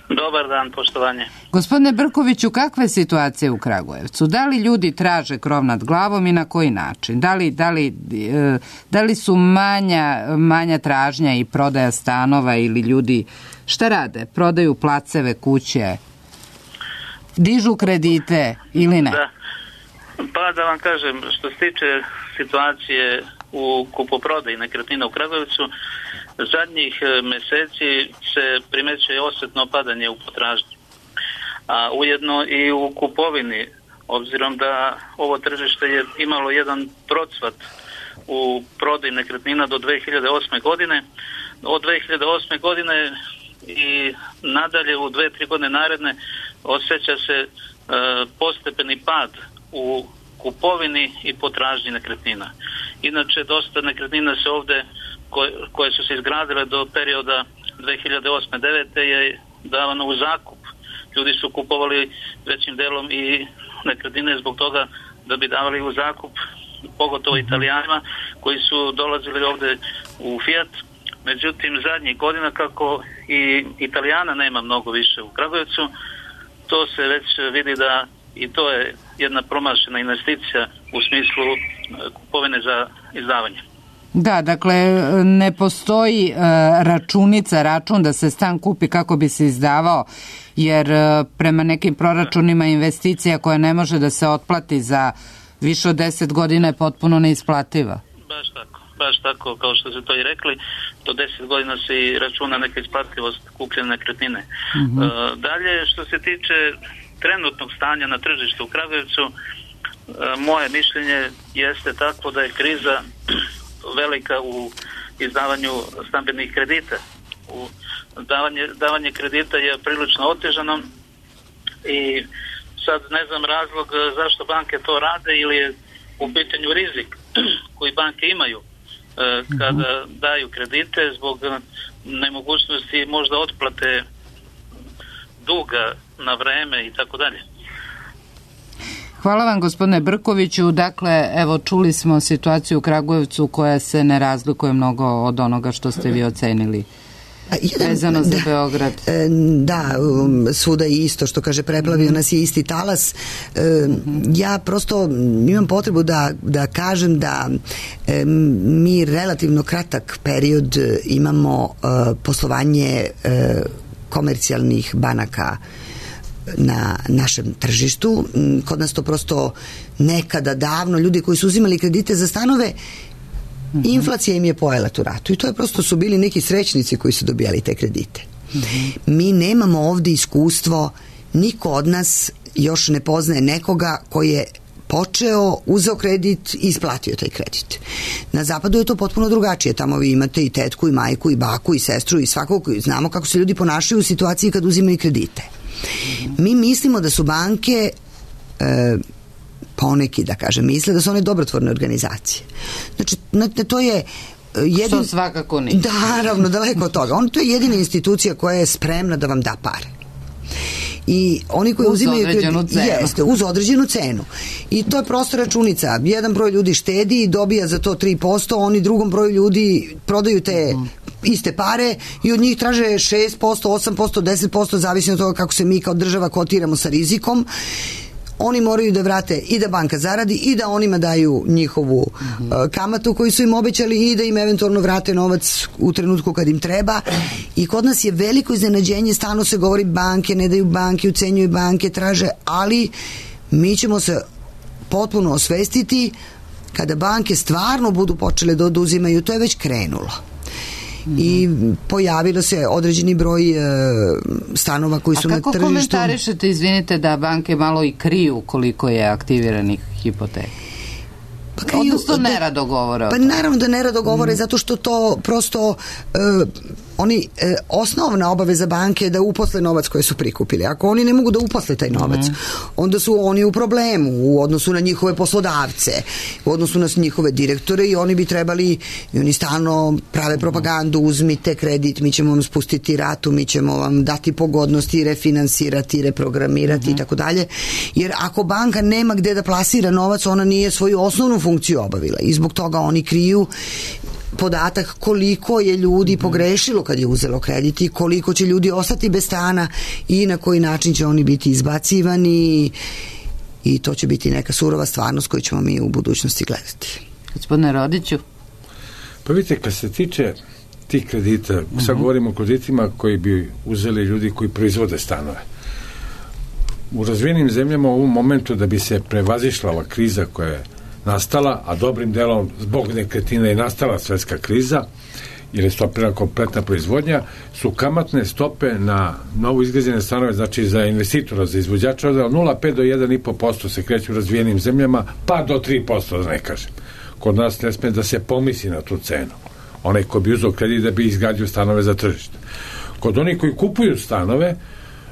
Dobar dan, poštovanje. Gospodine Brkoviću, kakva je situacija u Kragujevcu? Da li ljudi traže krov nad glavom i na koji način? Da li, da li, da li su manja, manja tražnja i prodaja stanova ili ljudi šta rade? Prodaju placeve, kuće, dižu kredite ili ne? Da. Pa da vam kažem, što se tiče situacije u kupoprodaji nekretnina u Kragujevcu, zadnjih meseci se primećuje osjetno padanje u potražnji, a ujedno i u kupovini, obzirom da ovo tržište je imalo jedan procvat u prodaji nekretnina do dve hiljade osme godine. Od dve hiljade osme godine i nadalje u dve, tri godine naredne osjeća se e, postepeni pad u kupovini i potražnji nekretnina. Inače, dosta nekretnina se ovde koje, koje su se izgradile do perioda dve hiljade osme do devete je davano u zakup. Ljudi su kupovali većim delom i nekretnine zbog toga da bi davali u zakup, pogotovo Italijanima koji su dolazili ovde u Fiat, Međutim, zadnjih godina, kako i Italijana nema mnogo više u Kragujevcu, to se već vidi da i to je jedna promašena investicija u smislu kupovine za izdavanje. Da, dakle, ne postoji uh, računica, račun da se stan kupi kako bi se izdavao, jer uh, prema nekim proračunima investicija koja ne može da se otplati za više od deset godina je potpuno neisplativa. Baš tako, baš tako, kao što ste to i rekli, do deset godina se i računa neka isplativost kupljene nekretnine. Mm-hmm. Uh, dalje, što se tiče trenutnog stanja na tržištu u Kragujevcu, uh, moje mišljenje jeste takvo da je kriza velika u izdavanju stambenih kredita. U davanje, davanje kredita je prilično otežano i sad ne znam razlog zašto banke to rade, ili je u pitanju rizik koji banke imaju kada daju kredite zbog nemogućnosti možda otplate duga na vreme i tako dalje. Hvala vam, gospodine Brkoviću. Dakle, evo, čuli smo situaciju u Kragujevcu koja se ne razlikuje mnogo od onoga što ste vi ocenili. Jedan, vezano za da, Beograd. Da, svuda je isto, što kaže, preplavio nas je isti talas. Ja prosto imam potrebu da, da kažem da mi relativno kratak period imamo poslovanje komercijalnih banaka na našem tržištu. Kod nas to prosto nekada davno, ljudi koji su uzimali kredite za stanove, mm-hmm. inflacija im je pojela tu ratu i to je prosto su bili neki srećnici koji su dobijali te kredite. Mm-hmm. Mi nemamo ovdje iskustvo, niko od nas još ne poznaje nekoga koji je počeo, uzeo kredit i isplatio taj kredit. Na zapadu je to potpuno drugačije. Tamo vi imate i tetku, i majku, i baku, i sestru, i svakog. Znamo kako se ljudi ponašaju u situaciji kad uzimaju kredite. Mi mislimo da su banke e, poneki, da kažem, misle da su one dobrotvorne organizacije. Znači, to je jedin... Što svakako nije. Da, naravno, daleko od toga. On, to je jedina institucija koja je spremna da vam da pare. I oni koji uz uzimaju određenu kredit, cenu. Jeste, uz određenu cenu. I to je prosto računica. Jedan broj ljudi štedi i dobija za to tri posto, oni drugom broju ljudi prodaju te mm. iste pare i od njih traže šest posto, osam posto, deset posto, zavisno od toga kako se mi kao država kotiramo sa rizikom. Oni moraju da vrate i da banka zaradi i da onima daju njihovu mm-hmm. uh, kamatu koju su im obećali i da im eventualno vrate novac u trenutku kad im treba. I kod nas je veliko iznenađenje, stalno se govori banke, ne daju banke, ucenjuju banke, traže, ali mi ćemo se potpuno osvestiti kada banke stvarno budu počele da oduzimaju, to je već krenulo. I pojavilo se određeni broj e, stanova koji su na tržištu. A kako komentarišete, izvinite, da banke malo i kriju koliko je aktiviranih hipoteka? Pa kriju, odnosno nerado govore. Pa naravno da nerado govore, mm. zato što to prosto e, oni, e, osnovna obaveza banke je da uposle novac koji su prikupili. Ako oni ne mogu da uposle taj novac, mm. onda su oni u problemu u odnosu na njihove poslodavce, u odnosu na njihove direktore i oni bi trebali, i oni stalno prave propagandu, uzmite kredit, mi ćemo vam spustiti ratu, mi ćemo vam dati pogodnosti, refinansirati, reprogramirati mm. i tako dalje. Jer ako banka nema gde da plasira novac, ona nije svoju osnovnu funkciju obavila i zbog toga oni kriju podatak koliko je ljudi pogrešilo kad je uzelo kredit i koliko će ljudi ostati bez stana i na koji način će oni biti izbacivani i to će biti neka surova stvarnost koju ćemo mi u budućnosti gledati. Gospodine Rodiću? Pa vidite, kad se tiče tih kredita, uh-huh. sad govorimo o kreditima koji bi uzeli ljudi koji proizvode stanove. U razvijenim zemljama u ovom momentu da bi se prevazišla ova kriza koja je nastala, a dobrim delom zbog nekretnina je nastala svetska kriza, jer je stopirana kompletna proizvodnja, su kamatne stope na novo izgrađene stanove, znači za investitora, za izvođača, od nula zarez pet do jedan zarez pet posto se kreću u razvijenim zemljama, pa do tri posto, da ne kažem. Kod nas ne sme da se pomisli na tu cenu. Onaj ko bi uzeo kredit da bi izgradio stanove za tržište. Kod onih koji kupuju stanove,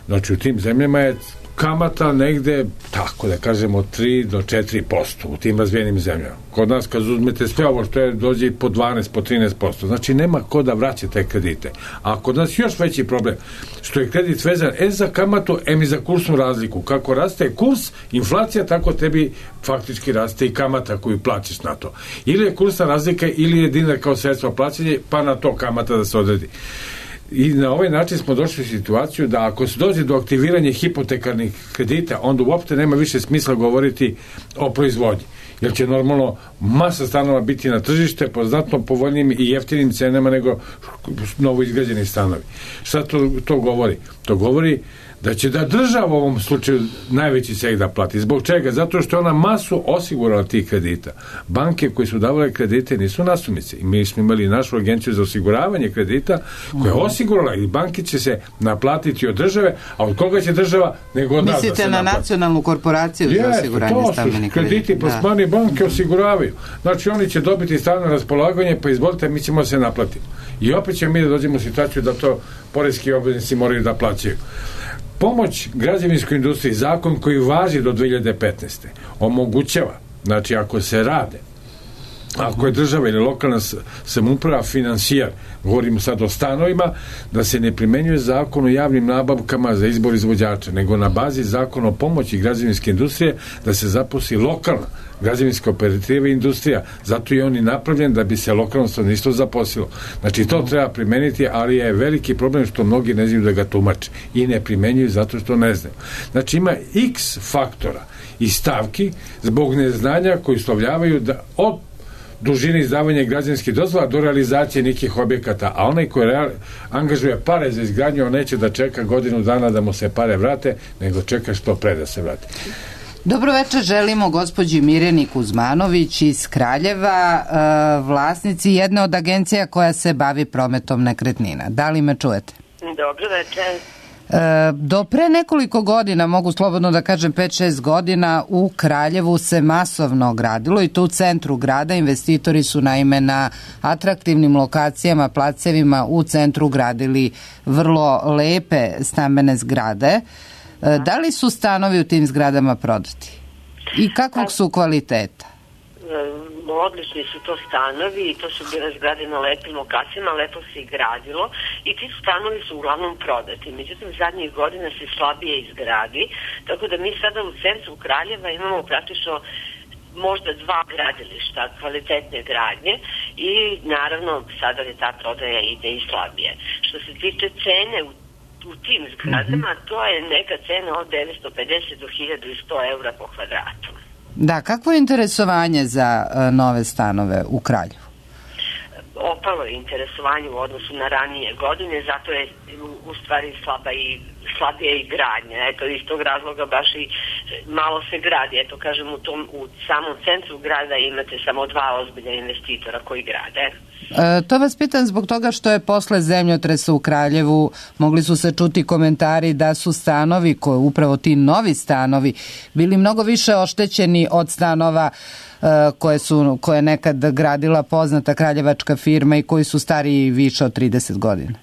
znači u tim zemljama je kamata negde, tako da kažemo, tri do četiri posto u tim razvijenim zemljama. Kod nas kad uzmete sve ovo što je, dođe po dvanaest, po trinaest posto. Znači nema ko da vraća te kredite. A kod nas još veći problem, što je kredit vezan e za kamatu, em i za kursnu razliku. Kako raste kurs, inflacija, tako tebi faktički raste i kamata koju plaćaš na to. Ili je kursna razlika, ili je dinar kao sredstvo plaćanja, pa na to kamata da se odredi. I na ovaj način smo došli u situaciju da ako se dođe do aktiviranja hipotekarnih kredita, onda uopšte nema više smisla govoriti o proizvodnji. Jer će normalno masa stanova biti na tržište po znatno povoljnim i jeftinim cenama nego novo izgrađeni stanovi. Šta to, to govori? To govori da će da država u ovom slučaju najveći seg da plati. Zbog čega? Zato što je ona masu osigurala tih kredita. Banke koje su davale kredite nisu nasumice. I mi smo imali našu agenciju za osiguravanje kredita koja je osigurala i banke će se naplatiti od države, a od koga će država nego od nas da se Mislite na naplati. nacionalnu korporaciju za osiguranje stambenih kredita? Krediti plasmani banke osiguravaju. Znači oni će dobiti stalno raspolaganje, pa izvolite, mi ćemo se naplatiti. I opet ćemo mi da dođemo u situaciju da to poreski obveznici moraju da plaćaju. Pomoć građevinskoj industriji, zakon koji važi do dve hiljade petnaeste. omogućava, znači ako se rade, ako je država ili lokalna samouprava finansijar, govorimo sad o stanovima, da se ne primenjuje zakon o javnim nabavkama za izbor izvođača, nego na bazi zakona o pomoći građevinske industrije da se zaposli lokalna građevinska operativa i industrija. Zato je on i napravljen da bi se lokalno stanovništvo zaposlilo. Znači to treba primeniti, ali je veliki problem što mnogi ne znaju da ga tumače i ne primenjuju zato što ne znaju. Znači ima x faktora i stavki zbog neznanja koji uslovljavaju da od dužine izdavanja građevinskih dozvola do realizacije nekih objekata, a onaj koji real, angažuje pare za izgradnju, on neće da čeka godinu dana da mu se pare vrate, nego čeka što pre da se vrate. Dobro večer, želimo gospođi Mirjani Kuzmanović iz Kraljeva, vlasnici jedne od agencija koja se bavi prometom nekretnina. Da li me čujete? Dobro večer. Do pre nekoliko godina, mogu slobodno da kažem pet šest godina, u Kraljevu se masovno gradilo i to u centru grada. Investitori su naime na atraktivnim lokacijama, placevima u centru gradili vrlo lepe stambene zgrade. Da li su stanovi u tim zgradama prodati? I kakvog su kvaliteta? Odlični su to stanovi i to su bile zgrade na lepim lokacijama, lepo se i gradilo i ti stanovi su uglavnom prodati. Međutim, zadnjih godina se slabije izgradi, tako da mi sada u centru Kraljeva imamo praktično možda dva gradilišta kvalitetne gradnje i naravno sada je ta prodaja ide i slabije. Što se tiče cene u u tim zgradama, mm-hmm. to je neka cena od devetsto pedeset do hiljadu sto eura po kvadratu. Da, kakvo je interesovanje za uh, nove stanove u Kraljevu? Opalo je interesovanje u odnosu na ranije godine, zato je u, u stvari slaba i slabije i gradnja. Eto, iz tog razloga baš i malo se gradi. Eto, kažem, u, tom, u samom centru grada imate samo dva ozbiljna investitora koji grade. E, to vas pitam zbog toga što je posle zemljotresa u Kraljevu mogli su se čuti komentari da su stanovi, koje, upravo ti novi stanovi, bili mnogo više oštećeni od stanova e, koje su koje je nekad gradila poznata kraljevačka firma i koji su stariji više od trideset godina.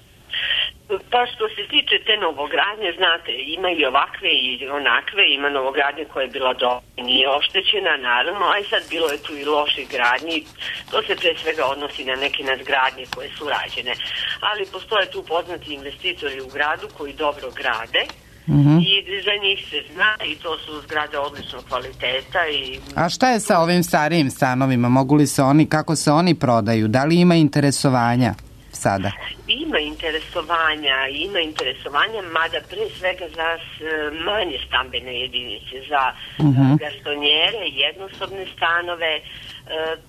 Pa što se tiče te novogradnje, znate, ima i ovakve i onakve, ima novogradnje koja je bila dobra, nije oštećena, naravno, a i sad bilo je tu i loših gradnji, to se pre svega odnosi na neke nadgradnje koje su rađene, ali postoje tu poznati investitori u gradu koji dobro grade, mm-hmm. i za njih se zna i to su zgrade odličnog kvaliteta. I... A šta je sa ovim starijim stanovima? Mogu li se oni, kako se oni prodaju? Da li ima interesovanja sada? Ima interesovanja, ima interesovanja, mada pre svega za manje stambene jedinice, za uh-huh. gastonjere, jednosobne stanove,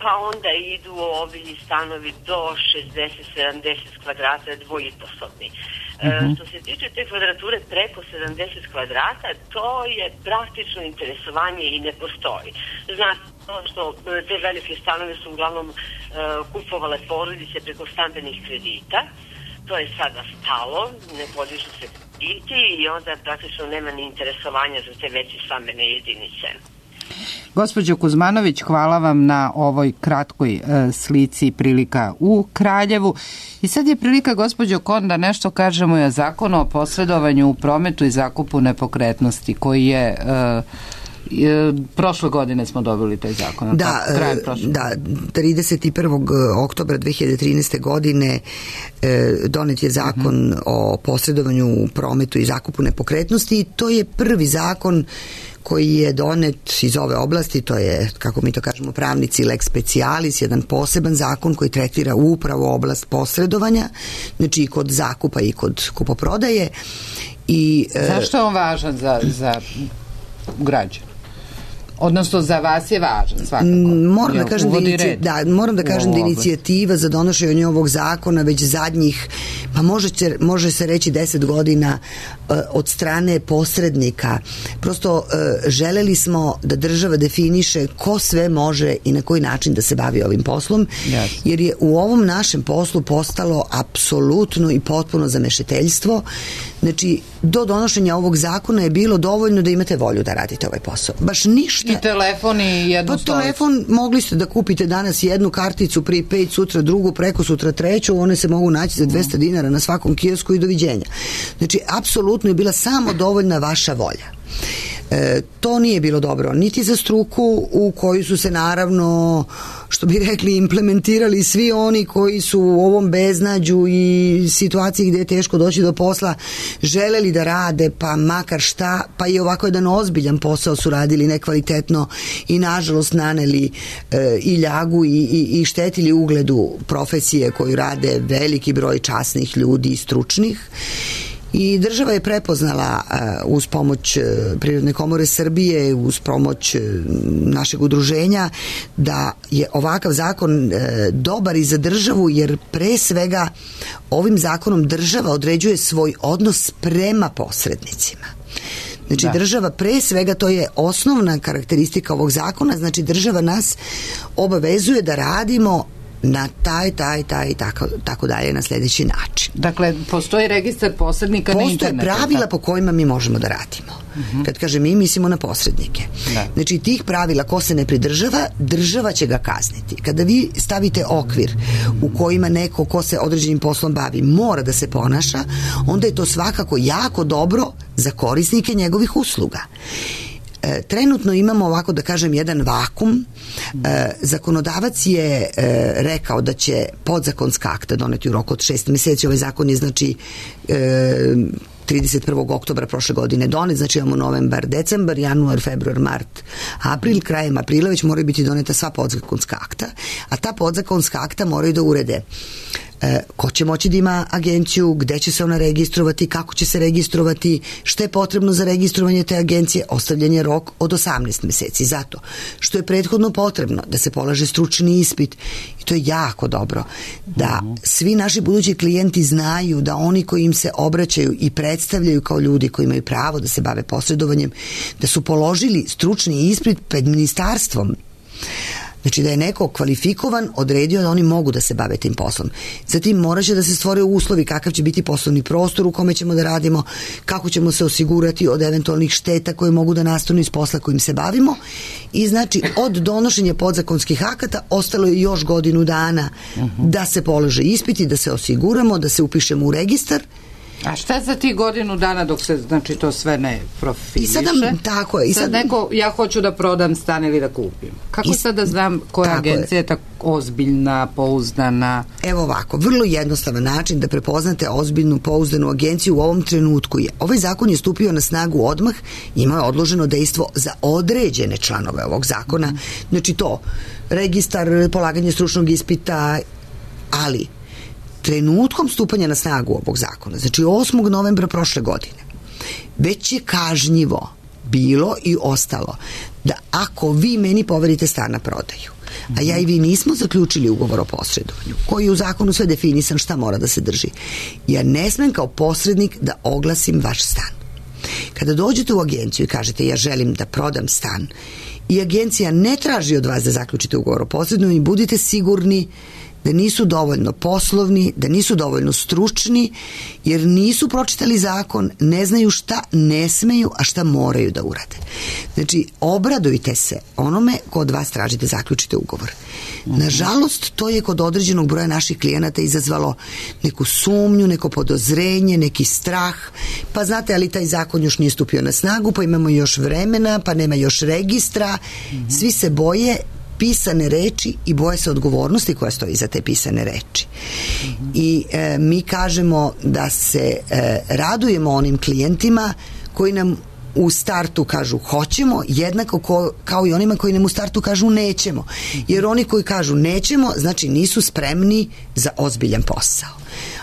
pa onda idu ovi stanovi do šezdeset sedamdeset kvadrata, dvojiposobni. Uh-huh. Što se tiče te kvadrature preko sedamdeset kvadrata, to je praktično interesovanje i ne postoji. Znate, to što te velike stanove su uglavnom uh, kupovale porodice preko stambenih kredita, to je sada stalo, ne podižu se krediti i onda praktično nema ni interesovanja za te veće stambene jedinice. Gospođo Kuzmanović, hvala vam na ovoj kratkoj e, slici prilika u Kraljevu. I sad je prilika, gospođo Kon, da nešto kažemo i o zakonu o posredovanju u prometu i zakupu nepokretnosti, koji je... E, prošle godine smo dobili taj zakon. Da, da, trideset prvog oktobra dve hiljade trinaeste. godine donet je zakon uh-huh. o posredovanju u prometu i zakupu nepokretnosti i to je prvi zakon koji je donet iz ove oblasti, to je, kako mi to kažemo pravnici, lex specialis, jedan poseban zakon koji tretira upravo oblast posredovanja, znači i kod zakupa i kod kupoprodaje. I, zašto je on važan za, za građane? Odnosno za vas je važan svakako. Moram da kažem da, inici... da, moram da kažem da inicijativa za donošenje ovog zakona već zadnjih, pa može, će, može se reći deset godina uh, od strane posrednika. Prosto uh, želeli smo da država definiše ko sve može i na koji način da se bavi ovim poslom, yes. jer je u ovom našem poslu postalo apsolutno i potpuno zamešeteljstvo. Znači, do donošenja ovog zakona je bilo dovoljno da imate volju da radite ovaj posao. Baš ništa. I telefon i jednu stolicu. Pa telefon mogli ste da kupite danas jednu karticu, prepaid, sutra drugu, preko sutra treću, one se mogu naći za dvesta dinara na svakom kiosku i doviđenja. Znači, apsolutno je bila samo dovoljna vaša volja. E, to nije bilo dobro niti za struku u koju su se naravno, što bi rekli, implementirali svi oni koji su u ovom beznađu i situaciji gde je teško doći do posla želeli da rade, pa makar šta, pa i ovako jedan ozbiljan posao su radili nekvalitetno i nažalost naneli e, i ljagu i, i, i štetili ugledu profesije koju rade veliki broj časnih ljudi i stručnih. I država je prepoznala uh, uz pomoć uh, Privredne komore Srbije, uz pomoć uh, našeg udruženja, da je ovakav zakon uh, dobar i za državu, jer pre svega ovim zakonom država određuje svoj odnos prema posrednicima. Znači, da. Država pre svega, to je osnovna karakteristika ovog zakona, znači država nas obavezuje da radimo na taj, taj, taj i tako, tako dalje na sljedeći način. Dakle, postoji registar posrednika na internetu. Postoje pravila po kojima mi možemo da radimo. Uh-huh. Kad kaže mi, mislimo na posrednike. Da. Znači, tih pravila ko se ne pridržava, država će ga kazniti. Kada vi stavite okvir u kojima neko ko se određenim poslom bavi mora da se ponaša, onda je to svakako jako dobro za korisnike njegovih usluga. E, trenutno imamo, ovako da kažem, jedan vakum. E, zakonodavac je e, rekao da će podzakonska akta doneti u roku od šest meseci. Ovaj zakon je, znači, e, trideset prvog oktobra prošle godine donet, znači imamo novembar, decembar, januar, februar, mart, april, krajem aprila već moraju biti doneta sva podzakonska akta, a ta podzakonska akta moraju da urede e, ko će moći da ima agenciju, gde će se ona registrovati, kako će se registrovati, šta je potrebno za registrovanje te agencije, ostavljen je rok od osamnaest meseci, zato što je prethodno potrebno da se polaže stručni ispit i to je jako dobro, da svi naši budući klijenti znaju da oni koji im se obraćaju i predstavljaju kao ljudi koji imaju pravo da se bave posredovanjem, da su položili stručni ispit pred ministarstvom. Znači da je neko kvalifikovan, odredio da oni mogu da se bave tim poslom. Zatim morat će da se stvore uslovi kakav će biti poslovni prostor u kome ćemo da radimo, kako ćemo se osigurati od eventualnih šteta koje mogu da nastanu iz posla kojim se bavimo i znači od donošenja podzakonskih akata ostalo je još godinu dana da se polože ispiti, da se osiguramo, da se upišemo u registar. A šta za ti godinu dana dok se, znači, to sve ne profiliše? I sada, tako je. I sad, sad neko, ja hoću da prodam stan ili da kupim. Kako i, sad da znam koja agencija je, je tako ozbiljna, pouzdana? Evo ovako, vrlo jednostavan način da prepoznate ozbiljnu, pouzdanu agenciju u ovom trenutku je. Ovaj zakon je stupio na snagu odmah, imao je odloženo dejstvo za određene članove ovog zakona. Mm. Znači to, registar, polaganje stručnog ispita, ali trenutkom stupanja na snagu ovog zakona, znači osmog novembra prošle godine, već je kažnjivo bilo i ostalo da ako vi meni poverite stan na prodaju, a ja i vi nismo zaključili ugovor o posredovanju, koji je u zakonu sve definisan šta mora da se drži, ja ne smem kao posrednik da oglasim vaš stan. Kada dođete u agenciju i kažete ja želim da prodam stan i agencija ne traži od vas da zaključite ugovor o posredovanju, budite sigurni da nisu dovoljno poslovni, da nisu dovoljno stručni, jer nisu pročitali zakon, ne znaju šta ne smeju, a šta moraju da urade. Znači, obradujte se onome ko od vas traži da zaključite ugovor. Nažalost, to je kod određenog broja naših klijenata izazvalo neku sumnju, neko podozrenje, neki strah, pa znate, ali taj zakon još nije stupio na snagu, pa imamo još vremena, pa nema još registra, svi se boje pisane reči i boje se odgovornosti koja stoji za te pisane reči. Mm-hmm. I e, mi kažemo da se e, radujemo onim klijentima koji nam u startu kažu hoćemo, jednako ko, kao i onima koji nam u startu kažu nećemo. Mm-hmm. Jer oni koji kažu nećemo, znači nisu spremni za ozbiljan posao.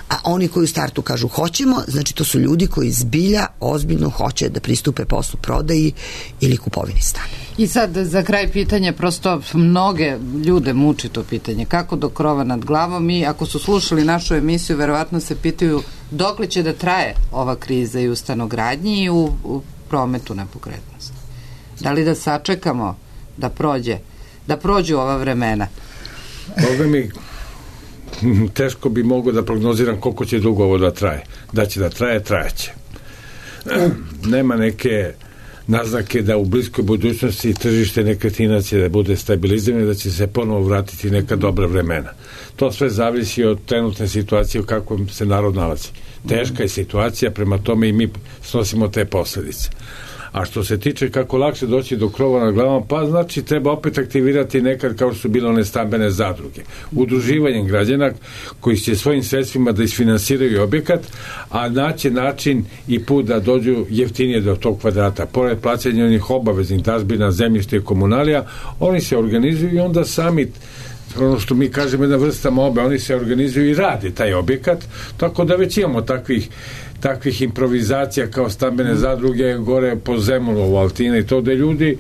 A oni koji u startu kažu hoćemo, znači to su ljudi koji zbilja ozbiljno hoće da pristupe poslu prodaji ili kupovini stana. I sad za kraj pitanje, prosto mnoge ljude muči to pitanje, kako do krova nad glavom, i ako su slušali našu emisiju, verovatno se pitaju dokle će da traje ova kriza i u stanogradnji i u, u prometu nepokretnosti. Da li da sačekamo da prođe, da prođu ova vremena? Boga mi, teško bi mogo da prognoziram koliko će dugo ovo da traje. Da će da traje, trajeće. Nema neke naznake da u bliskoj budućnosti tržište nekretnina će da bude stabilizirano, da će se ponovo vratiti neka dobra vremena. To sve zavisi od trenutne situacije u kakvom se narod nalazi. Teška je situacija, prema tome i mi snosimo te posledice. A što se tiče kako lakše doći do krova na glavom, pa znači treba opet aktivirati nekad kao što su bile one stambene zadruge. Udruživanjem građana koji će svojim sredstvima da isfinansiraju objekat, a naći način i put da dođu jeftinije do tog kvadrata. Pored plaćanja onih obaveznih dažbina, zemljišta i komunalija, oni se organizuju i onda sami, ono što mi kažemo, jedna vrsta mobe, oni se organizuju i rade taj objekat, tako da već imamo takvih takvih improvizacija kao stambene zadruge gore po Zemunu, Altina i to, da ljudi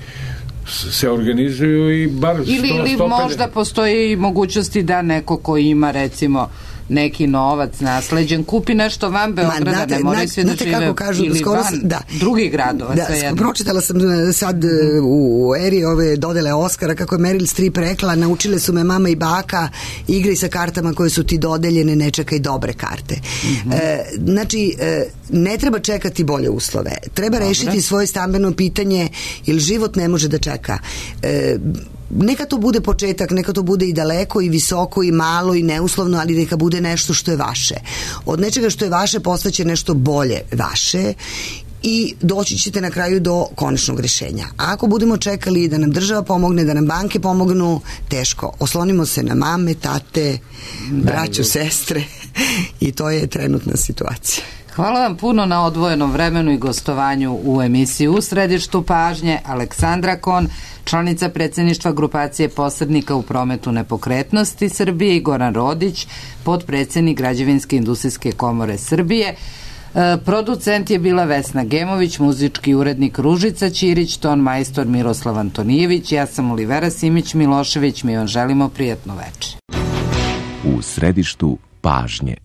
se organizuju i bar sto, ili, ili sto pedeset možda postoji mogućnosti da neko ko ima recimo neki novac nasleđen kupi nešto van Beograda, znate, ne moraju svi da žive kažu, ili skoro, van da, drugih gradova. Da, pročitala sam sad u eri ove dodele Oskara kako je Meryl Streep rekla, naučile su me mama i baka, igraj sa kartama koje su ti dodeljene, ne čekaj dobre karte. Mm-hmm. E, znači, e, ne treba čekati bolje uslove. Treba Dobre. rešiti svoje stambeno pitanje, jer život ne može da čeka. E, neka to bude početak, neka to bude i daleko i visoko i malo i neuslovno, ali neka bude nešto što je vaše. Od nečega što je vaše postaće nešto bolje vaše i doći ćete na kraju do konačnog rešenja. A ako budemo čekali da nam država pomogne, da nam banke pomognu, teško. Oslonimo se na mame, tate, braću, sestre i to je trenutna situacija. Hvala vam puno na odvojenom vremenu i gostovanju u emisiji U središtu pažnje. Aleksandra Kon, članica predsjedništva grupacije posrednika u prometu nepokretnosti Srbije, i Goran Rodić, potpredsjednik Građevinske industrijske komore Srbije. E, producent je bila Vesna Gemović, muzički urednik Ružica Ćirić, ton majstor Miroslav Antonijević, ja sam Olivera Simić Milošević, mi vam želimo prijatno večer. U središtu pažnje.